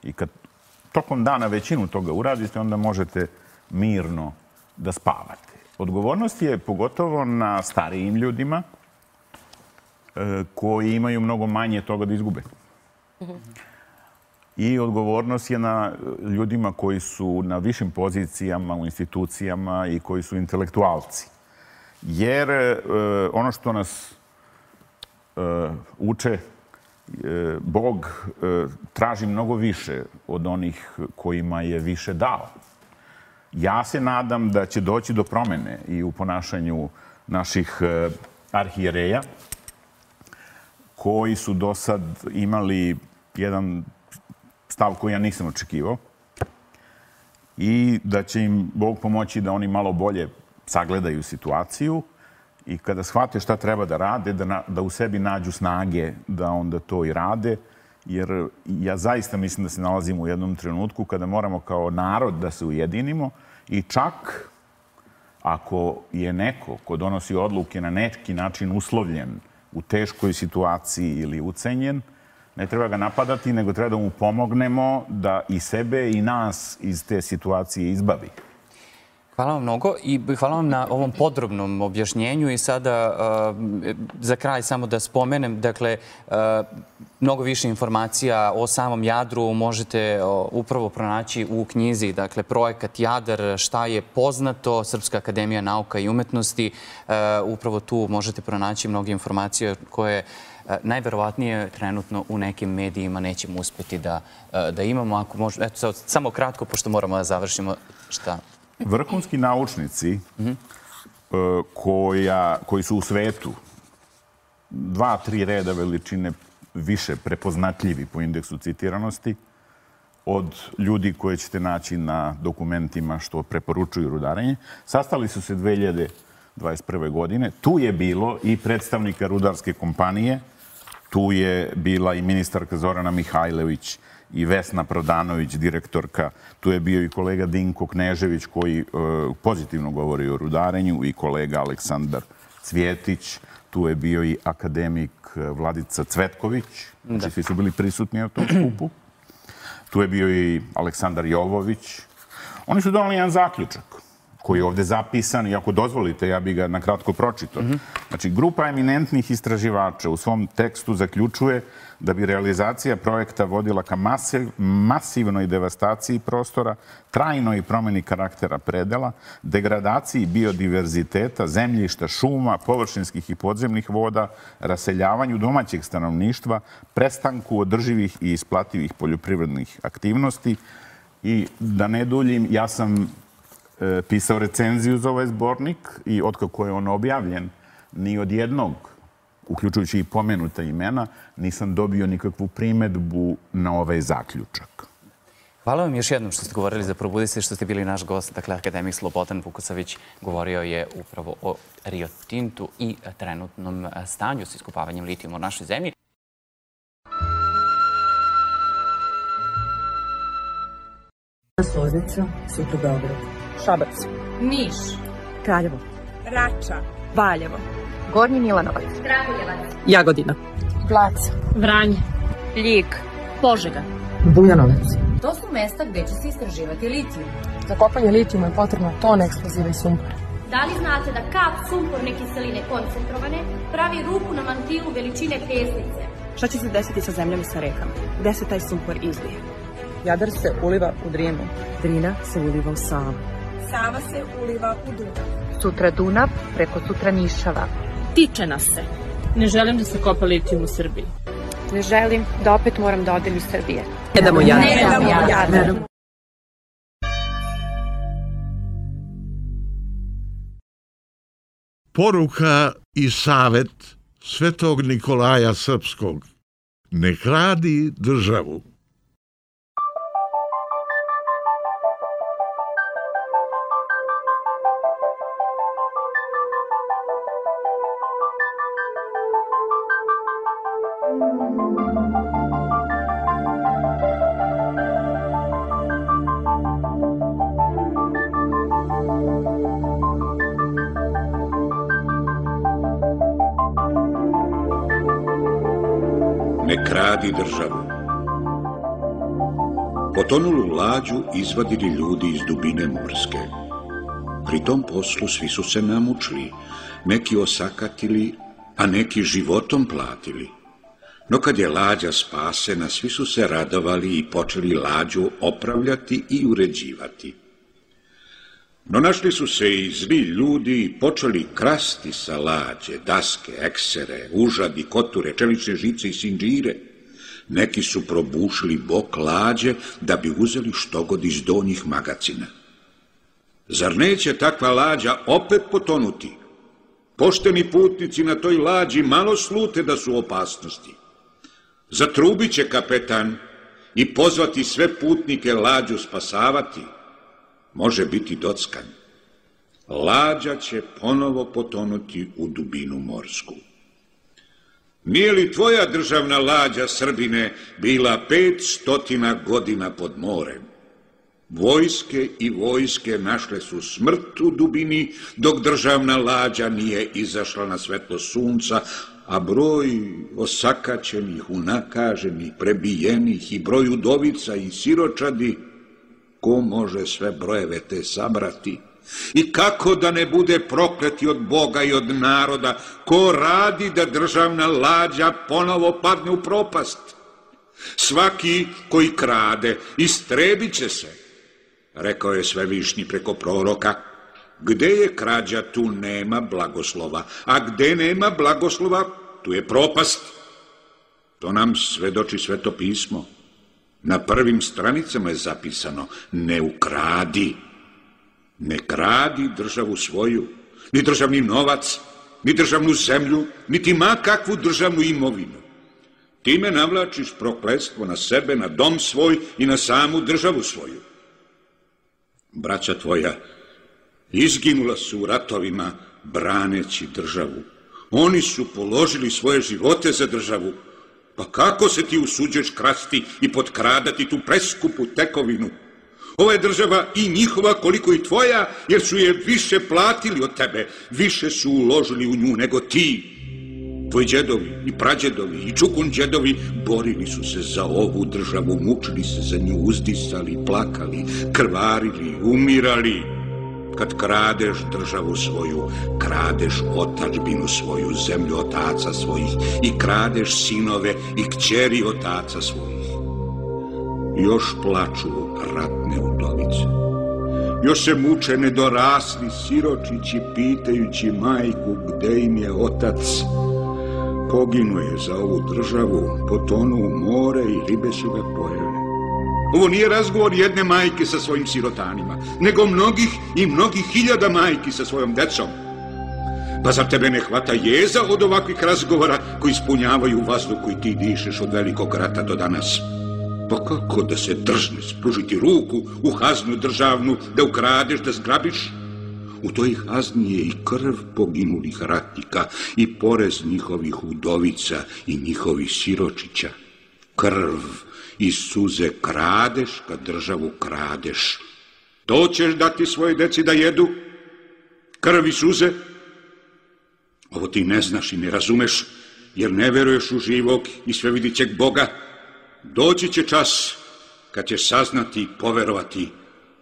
I kad tokom dana većinu toga uradite, onda možete mirno da spavate. Odgovornost je pogotovo na starijim ljudima koji imaju mnogo manje toga da izgube. I odgovornost je na ljudima koji su na višim pozicijama u institucijama i koji su intelektualci. Jer ono što nas uče, Bog traži mnogo više od onih kojima je više dao. Ja se nadam da će doći do promene i u ponašanju naših arhijereja, koji su do sad imali jedan stav koji ja nisam očekivao i da će im Bog pomoći da oni malo bolje sagledaju situaciju i kada shvate šta treba da rade, da u sebi nađu snage da onda to i rade. Jer ja zaista mislim da se nalazimo u jednom trenutku kada moramo kao narod da se ujedinimo i čak ako je neko ko donosi odluke na neki način uslovljen u teškoj situaciji ili ucenjen, ne treba ga napadati, nego treba da mu pomognemo da i sebe i nas iz te situacije izbavi. Hvala vam mnogo i hvala vam na ovom podrobnom objašnjenju i sada za kraj samo da spomenem, dakle, mnogo više informacija o samom Jadru možete upravo pronaći u knjizi, dakle, Projekat Jadar, šta je poznato, Srpska akademija nauka i umetnosti. Upravo tu možete pronaći mnogo informacije koje najverovatnije trenutno u nekim medijima nećemo uspeti da imamo. Ako možemo, eto, samo kratko, pošto moramo da završimo, šta? Vrhunski naučnici koji su u svetu 2-3 reda veličine više prepoznatljivi po indeksu citiranosti od ljudi koje ćete naći na dokumentima što preporučuju rudarenje, sastali su se 2021. godine. Tu je bilo i predstavnika rudarske kompanije, tu je bila i ministarka Zorana Mihajlović i Vesna Prodanović, direktorka. Tu je bio i kolega Dinko Knežević koji pozitivno govori o rudarenju i kolega Aleksandar Cvjetić. Tu je bio i akademik Vladica Cvetković. Znači, svi su bili prisutni na tom skupu. Tu je bio i Aleksandar Jovović. Oni su donali jedan zaključak koji je ovde zapisan i ako dozvolite, ja bih ga nakratko pročitao. Znači, grupa eminentnih istraživača u svom tekstu zaključuje da bi realizacija projekta vodila ka masivnoj devastaciji prostora, trajnoj promeni karaktera predela, degradaciji biodiverziteta, zemljišta, šuma, površinskih i podzemnih voda, raseljavanju domaćeg stanovništva, prestanku održivih i isplativih poljoprivrednih aktivnosti. I da ne duljim, ja sam pisao recenziju za ovaj zbornik i otkako je on objavljen, ni od jednog, uključujući i pomenuta imena, nisam dobio nikakvu primedbu na ovaj zaključak. Hvala vam još jednom što ste govorili za Probudi se, što ste bili naš gost. Dakle, akademik Slobodan Vukosavić govorio je upravo o Rio Tintu i trenutnom stanju sa iskopavanjem litijuma u našoj zemlji. Loznica, sutra Beograd. Šabac. Niš. Kraljevo. Rača. Valjevo. Gornji Milanovac. Kragujevac. Jagodina. Blac. Vranje. Ljig. Požega. Bujanovac. To su mesta gde će se istraživati litijum. Za kopanje litijuma je potrebno tone eksploziva i sumpora. Da li znate da kap sumporne kiseline koncentrovane pravi rupu na mantilu veličine pesnice? Šta će se desiti sa zemljom i sa rekama? Gde se taj sumpor izlije? Jadar se uliva u Drinu. Drina se uliva u Savu. Sava se uliva u Dunav. Sutra Dunav, preko sutra Nišava. Tiče nas se. Ne želim da se kopa litijum u Srbiji. Ne želim da opet moram da odem iz Srbije. Ne damo Jadar. Poruka i savet Svetog Nikolaja Srpskog. Ne kradi državu. Ne kradi državu. Potonulu lađu izvadili ljudi iz dubine morske. Pri tom poslu svi su se namučili, neki osakatili, a neki životom platili. No kad je lađa spasena, svi su se radovali i počeli lađu opravljati i uređivati. No našli su se i zli ljudi i počeli krasti sa lađe, daske, eksere, užadi, koture, čelične žice i sinđire. Neki su probušili bok lađe da bi uzeli štogod iz donjih magacina. Zar neće takva lađa opet potonuti? Pošteni putnici na toj lađi malo slute da su opasnosti. Zatrubit će kapetan i pozvati sve putnike lađu spasavati. Može biti dockan. Lađa će ponovo potonuti u dubinu morsku. Nije li tvoja državna lađa, Srbine, bila 500 godina pod morem? Vojske i vojske našle su smrt u dubini, dok državna lađa nije izašla na svetlo sunca, a broj osakaćenih, unakaženih, prebijenih i broj udovica i siročadi, ko može sve brojeve te sabrati? I kako da ne bude prokleti od Boga i od naroda, ko radi da državna lađa ponovo padne u propast? Svaki koji krade, istrebit će se, rekao je Svevišnji preko proroka. Gde je krađa, tu nema blagoslova, a gde nema blagoslova, tu je propast. To nam svedoči Sveto pismo. Na prvim stranicama je zapisano: ne ukradi. Ne kradi državu svoju, ni državni novac, ni državnu zemlju, niti ma kakvu državnu imovinu. Time navlačiš prokletstvo na sebe, na dom svoj i na samu državu svoju. Braća tvoja izginula su u ratovima braneći državu. Oni su položili svoje živote za državu. Pa kako se ti usuđuješ krasti i potkradati tu preskupu tekovinu? Ova je država i njihova koliko i tvoja, jer su je više platili od tebe, više su uložili u nju nego ti. Tvoji džedovi i prađedovi i čukunđedovi borili su se za ovu državu, mučili se za nju, uzdisali, plakali, krvarili, umirali. Kad kradeš državu svoju, kradeš otadžbinu svoju, zemlju otaca svojih i kradeš sinove i kćeri otaca svojih. Još plaču ratne udovice. Još se muče nedorasli siročići pitajući majku gde im je otac. Poginuo je za ovu državu, potonuo u more i ribe su ga pojele. Ovo nije razgovor jedne majke sa svojim sirotanima, nego mnogih i mnogih hiljada majki sa svojom decom. Pa zar tebe ne hvata jeza od ovakvih razgovora koji ispunjavaju vazduh koji ti dišeš od velikog rata do danas? Pa kako da se drzne spružiti ruku u haznu državnu, da ukradeš, da zgrabiš? U toj hazni je i krv poginulih ratnika i porez njihovih udovica i njihovih siročića. Krv i suze kradeš kad državu kradeš. To ćeš dati svoje deci da jedu? Krv i suze? Ovo ti ne znaš i ne razumeš, jer ne veruješ u živog i svevidićeg Boga. Doći će čas kad ćeš saznati i poverovati,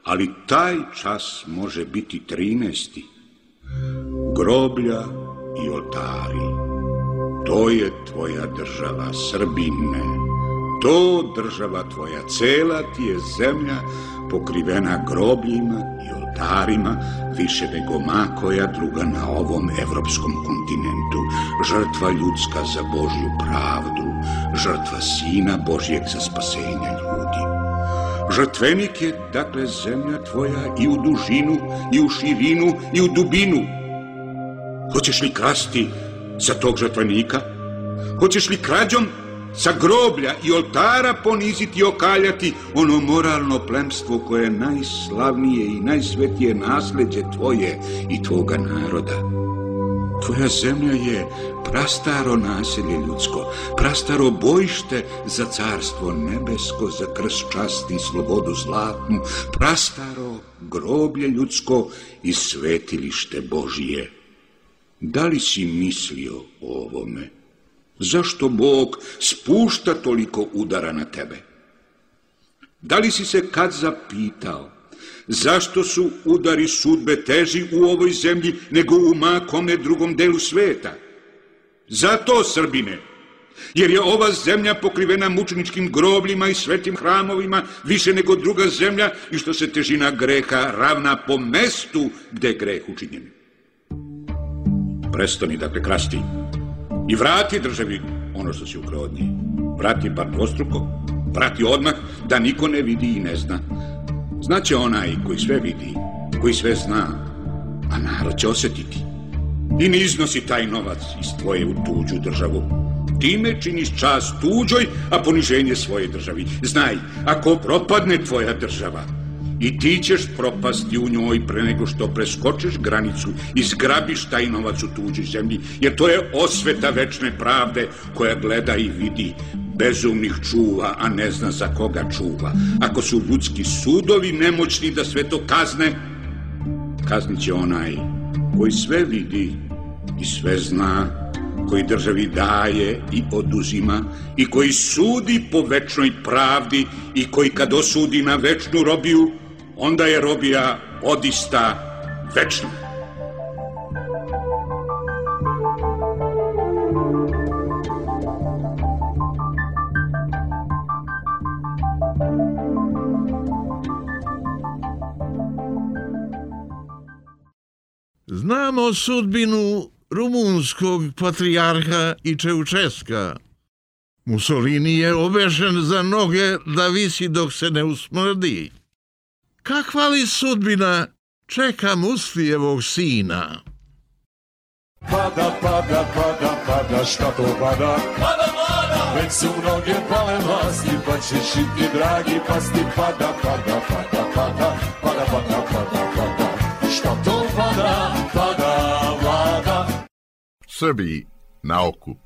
ali taj čas može biti 13. Groblja i oltari. To je tvoja država, Srbine. To država tvoja, cela ti je zemlja pokrivena grobljima i oltarima, više nego ma koja druga na ovom evropskom kontinentu. Žrtva ljudska za Božju pravdu, žrtva Sina Božjeg za spasenje ljudi. Žrtvenik je, dakle, zemlja tvoja i u dužinu, i u širinu, i u dubinu. Hoćeš li krasti za tog žrtvenika? Hoćeš li krađom sa groblja i oltara poniziti i okaljati ono moralno plemstvo koje je najslavnije i najsvetije nasleđe tvoje i tvoga naroda? Tvoja zemlja je prastaro naselje ljudsko, prastaro bojište za carstvo nebesko, za krst časti i slobodu zlatnu, prastaro groblje ljudsko i svetilište Božije. Da li si mislio o ovome? Zašto Bog spušta toliko udara na tebe? Da li si se kad zapitao zašto su udari sudbe teži u ovoj zemlji nego u ma kome drugom delu sveta? Zato, Srbine, jer je ova zemlja pokrivena mučeničkim grobljima i svetim hramovima više nego druga zemlja i što se težina greha ravna po mestu gde je greh učinjen. Prestani, dakle, krasti i vrati državi ono što si ukrao od nje. Vrati bar dvostruko, vrati odmah da niko ne vidi i ne zna. Znaće onaj koji sve vidi, koji sve zna, a narod će osjetiti. I ne iznosi taj novac iz tvoje u tuđu državu. Time činiš čast tuđoj, a poniženje svoje državi. Znaj, ako propadne tvoja država, i ti ćeš propasti u njoj pre nego što preskočiš granicu i zgrabiš taj novac u tuđoj zemlji, jer to je osveta večne pravde koja gleda i vidi. Bezumnih čuva, a ne zna za koga čuva. Ako su ljudski sudovi nemoćni da sve to kazne, kaznit će onaj koji sve vidi i sve zna, koji državi daje i oduzima i koji sudi po večnoj pravdi i koji kad osudi na večnu robiju, onda je robija odista večna. Znamo sudbinu rumunskog patrijarha i Čeučeska. Mussolini je obešen za noge da visi dok se ne usmrdi. Kakva li sudbina čeka Mustijevog sina? Pada, pada, pada, pada, šta to pada? Pada, pada! Već su noge pale vlasti, pa ćeš i ti, dragi, pasti. Pada, pada, pada, pada, pada, pada, pada, pada. Šta to pada, pada, vlada? Srbiji na okup.